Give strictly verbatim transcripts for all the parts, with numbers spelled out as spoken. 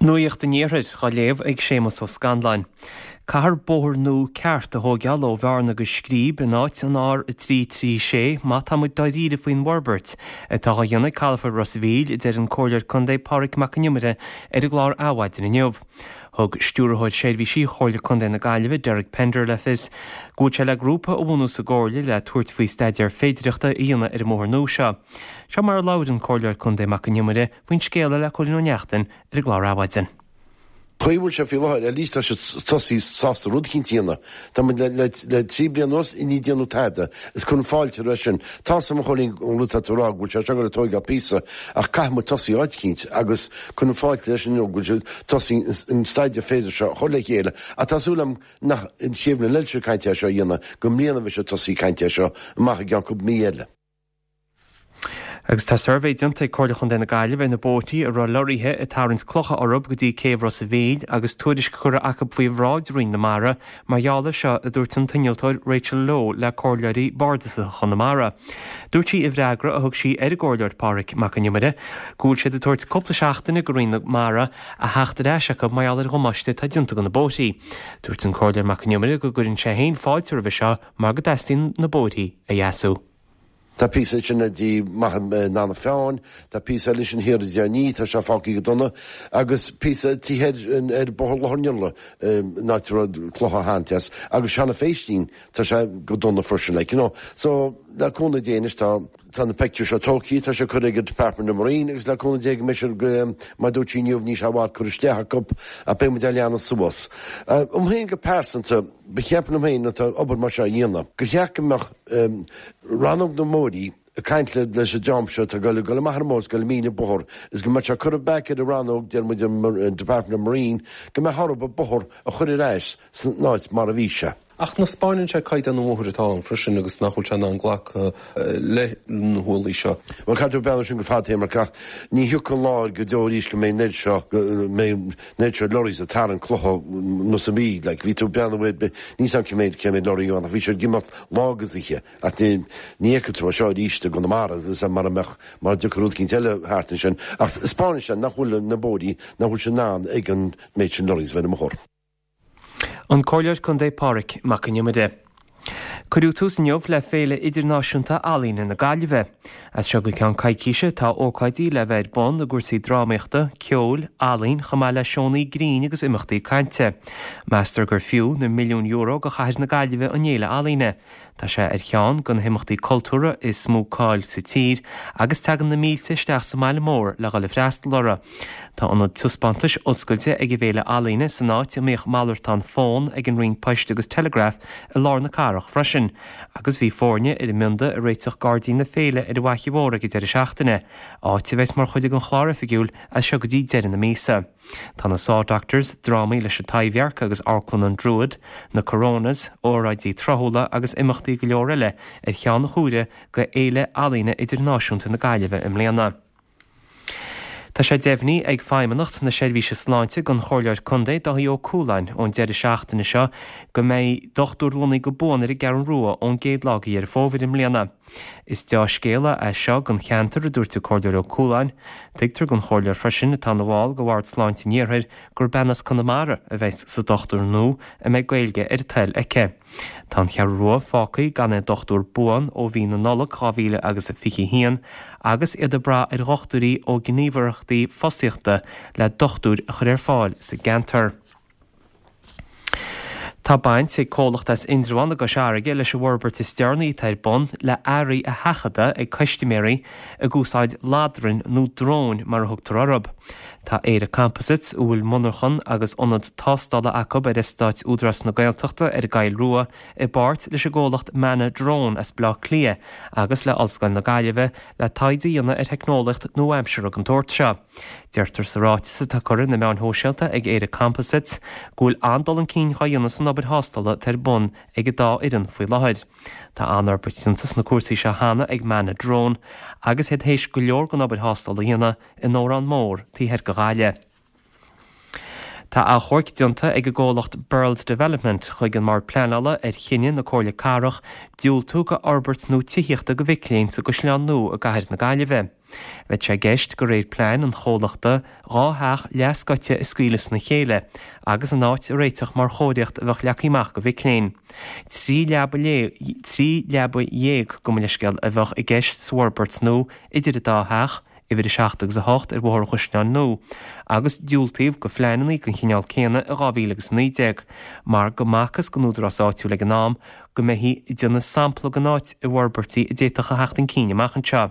Nuacht an Iarthair á léamh ag Séamus Ó Scanláin. Caithfear bóthar nua ceart a thógáil ó Bhearna go Scríb in áit an R a trí trí sé má tá muid dáiríre faoin bhforbairt atá á dhéanamh ag Calafort Ros a' Mhíl, a deir an Comhairleoir Contae Pádraig Mac Con Iomaire ar an gclár Adhmhaidin inniu. Thug Stiúrthóir Seirbhísí Chomhairle Contae na Gaillimhe Derek Pender le fios go bhfuil sé le grúpa a bhunú sa gComhairle le tabhairt faoi staidéar féidireachta a dhéanamh ar an mbóthar nua seo. Seo mar a labhair an Comhairleoir Contae Mac Con Iomaire faoin scéal le Cóilín Ó Neachtain ar an gclár Adhmhaidin. Chaoi bhfuil sé faoi láthair, at least tá sé tosaí sásta rud eicínt a dhéanamh. Tá muid le, le, le trí bliana anuas i ndiaidh déanamh tada, is cuirim fáilte roimhe sin. Tá a fhios agam a Chóilín an rud atá tú a rá go bhfuil sé seo ag tóigeáil píosa ach caithfidh muid tosaí áit eicínt agus cuirim fáilte leis inniu go bhfuil sé tosaí an staidéar féidir seo a chur le chéile ach tá súil agam nach an chéad bhliain eile seo caint é seo a dhéanamh go mbliana bheidh sé tosaí caint é seo amach i gceann cúpla mí eile. Agus tá suirbhé déanta ag Comhairle Chontae na Gaillimhe ar na bóithre a raibh lorraithe ag tarraingt clocha orthu go dtí céibh Ros a' Mhíl agus tuairisc curtha acu faoi bhráid Roinn na Mara mar gheall air seo a dúirt an t-innealtóir Rachel Lowe le comhairleoirí bardasacha Chonamara. Dúirt sí i bhfreagra a thug sí ar an gcomhairleoir Pádraig Mac Con Iomaire go bhfuil siad ag tabhairt cúpla seachtaine go Roinn na Mara a theacht ar ais acu mar gheall ar dhamáiste atá déanta go na bóithre. Dúirt an comhairleoir Mac Con Iomaire go gcuireann sé féin fáilte roimhe seo mar go dteastaíonn na bóithre a dheasú. Tá píosa sin dí maith na feáin, tá píosa eile sin thiar i tá sé fágtha go dona, agus píosa tí ar Bóthar Loch Niolla ná clocha hantas, agus Seana Féistín tá sé go dona freisin like, you know. So le cúnamh Dé anois tá tá na pictiúir seo tógtha tá sé curtha ag Department of Marine agus le cúnamh Dé go mbeidh mar dúirt sí inniu ní sé bhfad cur isteach acu a beidh muid a leanadh suas. Um féin go pearsanta ba cheapan am féin atá obair mar seo a dhéanamh. Go cheart go mbeadh rannóg na mbóithrí ag caint leis an dream seo tá go go maith mós go míle bóthar is go mbeadh sé curtha back ar an rannóg deir muid an Department of Marine go mbeadh orthu bóthar a chur ar ais san áit mar a bhí sé. Ach na spáineann sé caighdeán an bhóthair atá ann freisin agus nach bhfuil sé in ann glacadh le na hualaí seo. Well caithfidh tú breathnú sin go fadtéarmach ach ní thiocfaidh an lá go deo arís go mbeidh an oiread seo go mbeidh an oiread seo lorries ag tarraingt clocha nó sa mí like bhí tú breathnú ar ní sam cé mhéad cé mhéad lorry ann ach bhí siad ag imeacht lá agus oíche ach ní ní fheicfidh tú é seo arís i gConamara agus mar a mbeadh mar dtiocfadh rud eicínt eile thart ansin ach spáineann sé nach bhfuil na bóithrí nach bhfuil sé in ann ag an méid sin lorries bheith ar an mbóthar. An Comhairleoir Contae Pádraig Mac Con Iomaire. Cuireadh tús inniu le Féile Idirnáisiúnta Ealaíne na Gaillimhe. As seo go ceann coicíse tá ócáidí le bheith ar bun i gcúrsaí drámaíochta, ceoil, ealaín, chomh maith le seónna grinn agus imeachtaí cainte. Meastar gur fiú na milliún euro go chathair na Gaillimhe an fhéile ealaíne. Tá sé ar cheann de na himeachtaí cultúrtha is mó cáil sa tír agus tagann na mílte isteach sa mbaile mór le dhul ag freastal orthu. Tá ionad taispeántais oscailte ag an bhFéile Ealaíne san áit a mbíodh malartán fón ag an Roinn Poist agus Telegraph i lár na cathrach freisin, agus bhí foirne ar an mbionda ag réiteach gairdín na féile ar an bhFaiche Mhór ag an deireadh seachtaine, áit a bheas mar chuid den chlár oifigiúil as seo go dtí deireadh na míosa. Tá na Saw Doctors, drámaí leis an Taibhdhearc agus Amharclann an Druid, na Coronas, óráidí tráthúla agus imeachtaí go leor eile ar cheann na huaire go Fhéile Ealaíne Idirnáisiúnta na Gaillimhe i mbliana. Tá sé deimhnithe ag Feidhmeannacht na Seirbhíse Sláinte don Chomhairleoir Contae Dáithí Ó Cualáin ón deireadh seachtaine seo go mbeidh dochtúir lonnaithe go buan ar an gCeathrú Rua ón gcéad lá de Dheireadh Fómhair i mbliana. Is dea-scéala é seo don cheantar a dúirt an Comhairleoir Ó Cualáin. Tuigtear don chomhairleoir freisin atá ina bhall de Bhord Sláinte an Iarthair gur bean as Conamara a bheas sa dochtúir nua a mbeidh Gaeilge ar a toil aici. Tá an Cheathrú Rua fágtha gan aon dochtúir buan ó mhí na Nollag dhá mhíle agus a fiche haon agus iad ag brath ar dhochtúirí ó ghníomhaireachtaí fostaíochta le dochtúir a chur ar fáil sa gceantar. Tá baint ag comhlacht as Indreabhán i gCois Fharraige leis an bhforbairt is deireanaí atá ar bun le earraí a sheachadadh ag custaiméirí ag úsáid ladrainn nó dróin mar a thugtar orthu. Tá Éire Composites, a bhfuil monarchan agus ionad tástála acu ar eastát Údarás na Gaeltachta ar an gCoill Rua i bpáirt leis an gcomhlacht Manna Drone as Baile Átha Cliath agus le Ollscoil na Gaillimhe le taighde a dhéanamh ar theicneolaíocht nua-aimseartha den tsórt seo. Deirtear sa ráiteas atá curtha ar na meáin shóisialta ag Éire Composites go bhfuil an-dul chun cinn á dhéanamh san obair thástála atá ar bun ag an dá fhoireann faoi láthair. Tá an-fhorbairt déanta sna cúrsaí seo cheana ag Manna Drone agus iad théis go leor den obair thástála a dhéanamh in Órán Mór taobh thoir de Ghaillimh. Tá Tá achomharc déanta ag an gcomhlacht Birls Development chuig an mBord Pleanála ar chinneadh na Comhairle Cathrach diúltú go fhorbairt nua tithíochta go mhic léinn sa gCaisleán Nua i gcathair na Gaillimhe. Bheadh sé i gceist de réir plean an chomhlachta dhá theach leathscoite a scaoileadh sna chéile agus an áit a réiteach mar chóiríocht a bheadh leagtha amach go mhic léinn. Trí leaba trí leaba dhéag gabh mo leithscéal a bheadh i gceist sa bhforbairt nua idir an dá theach, uimhir a seacht agus a hocht ar Bhóthar an Chaisleáin Nua, agus diúltaíodh go phleananna den chineál céanna i dhá mhíle agus a naoi déag, mar go mb'fhacthas don údarás áitiúil ag an am go mbeifí ag déanamh sampla den áit i bhforbairtí a d'fhéadfadh a theacht chun cinn amach anseo.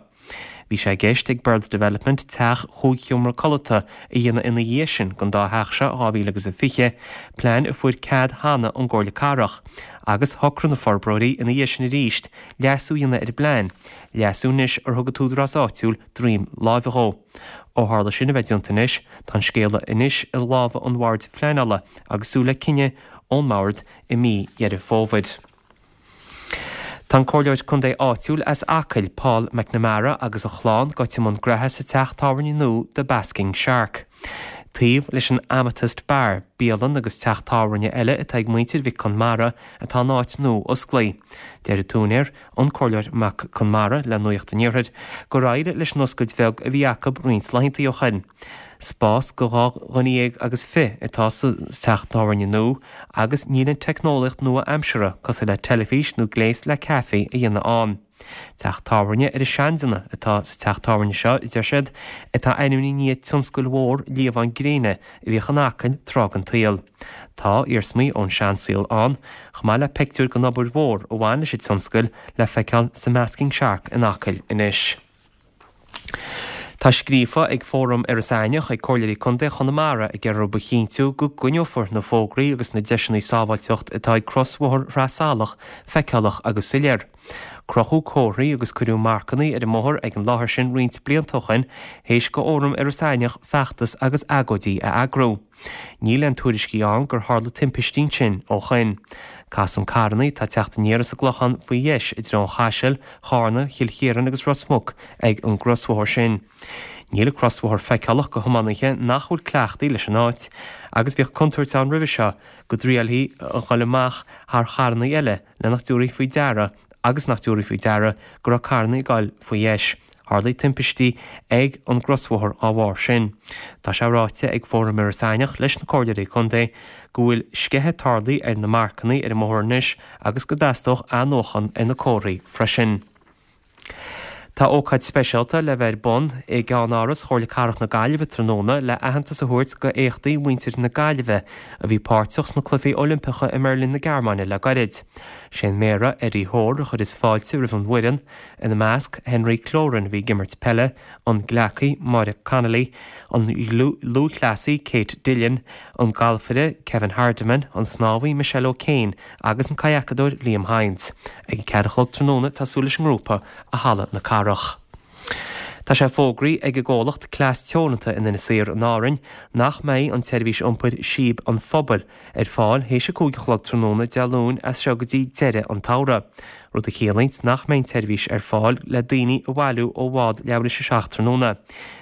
Bhí sé i gceist ag Birls Development teach chúig sheomra codlata a dhéanamh ina dhiaidh sin den dá theach seo dhá mhíle agus a fiche, plean a fuair cead cheana ón gComhairle Cathrach, agus shocraigh na forbróirí ina dhiaidh sin arís leasú a dhéanamh ar an bplean, leasú anois ar thug an t-údarás áitiúil droim láimhe dhó. Ó tharla sin a bheith déanta anois, tá an scéala anois i lámha an Bhoird Phleanála agus súil le cinneadh ón mBord i mí Dheireadh Fómhair. Tá an Comhairleoir Contae áitiúil as Acaill, Paul McNamara agus a chlann gaibhte i mbun graithe sa teach tábhairne nua The Basking Shark. Taobh leis an Amethyst Bar, bialann agus teach tábhairne eile atá ag muintir Mhic Conmara atá an áit nua osclaithe. Deir an t-úinéir, an Comhairleoir Mac Conmara le Nuacht an Iarthair, gur éirigh leis an oscailt bheag a bhí acu roinnt laethanta ó shin. Spás go dhá dhuine dhéag agus fiche atá sa teach tábhairne nua agus níl an teicneolaíocht nua-aimseartha cosúil le teilifís nó gléas le caife a dhéanamh ann. Teach tábhairne ar an seandéanamh atá sa teach tábhairne seo, a deir siad, atá ainmnithe i ndiaidh tionscail mhór liamhán gréine a bhíodh in Acaill tráth den tsaol. Tá iarsmaí ón seansaol ann, chomh maith le pictiúir den obair mhór a bhain leis an tionscal le feiceáil sa mBasking Shark in Acaill anois. Tá scríofa ag Fóram Iorras Aithneach ag Comhairleoirí Contae Chonamara ag iarraidh orthu a chinntiú go gcoinneofar na fógraí agus na deiseanna sábháilteacht atá ag crosbhóthar Shraith Salach feiceálach agus soiléir. Crochadh comharthaí agus cuireadh marcanna ar an mbóthar ag an láthair sin roinnt blianta ó shin théis go Fhóram Iorras Aithneach feachtas agus agóidí a eagrú. Níl aon tuairiscí ann gur tharla timpistí ansin ó shin. Casann carranna atá ag teacht aniar as an gClochán faoi dheis i dtreo an Chaisil, Charna, Chill Chiaráin agus Ros Muc ag an gcrosbhóthar sin. Níl an crosbhóthar feiceálach go thiománaithe nach bhfuil cleachtaithe leis an áit, agus bhíodh contúirt ann roimhe seo go dtriailfí a dhul amach thar charranna eile le nach dtabharfaí faoi deara agus nach dtabharfaí faoi deara go raibh carranna ag dul faoi dheis. Tharlaigh timpistí ag an gcrosbhóthar dá bharr sin. Tá sé ráite ag Fóram Iorras Aithneach leis na Comhairleoirí Contae go bhfuil sceitheadh tarlaithe ar na marcanna ar an mbóthar anois agus go dteastódh athnuachan ar na comharthaí freisin. Tá ócáid speisialta le bheith ar bun i gceannáras Chomhairle Cathrach na Gaillimhe tráthnóna le aitheantas a thabhairt go éachtaí mhuintir na Gaillimhe a bhí páirteach sna Cluichí Oilimpeacha i mBeirlín na Gearmáine le gairid. Sé an Méara Eddie Hoare a chuireas fáilte roimh an bhfoireann, ina measc Henry Cloran a bhí ag imirt peile, an gleacaí Máire Connolly, an lúthchleasaí Kate Dillon, an galfaire Kevin Hardiman, an snámhaí Michelle O'Kane agus an kayakeadóir Liam Hynes. Ag a ceathair a chlog tráthnóna tá súil leis an ngrúpa i Halla na Cathrach. Tá sé fógraithe ag an gcomhlacht Cleas Teoranta in Inis Oírr in Árainn nach mbeidh an tseirbhís iompair Síob an Phobail ar fáil théis a cúig a chlog tráthnóna Dé Luain as seo go dtí deireadh an tsamhraidh, rud a chiallaíonn nach mbeidh an tseirbhís ar fáil le daoine a bhailiú ó bhád leathuair tar éis a seacht tráthnóna.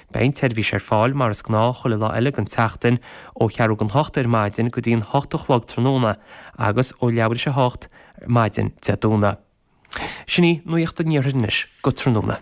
Beidh an tseirbhís ar fáil mar is gnáth chuile lá eile den tseachtain ó cheathrú don hocht ar maidin go dtí an hocht a chlog tráthnóna agus ó leathuair tar éis a hocht maidin Dé Domhnaigh. Sin í nuacht an iarthair anois go tráthnóna.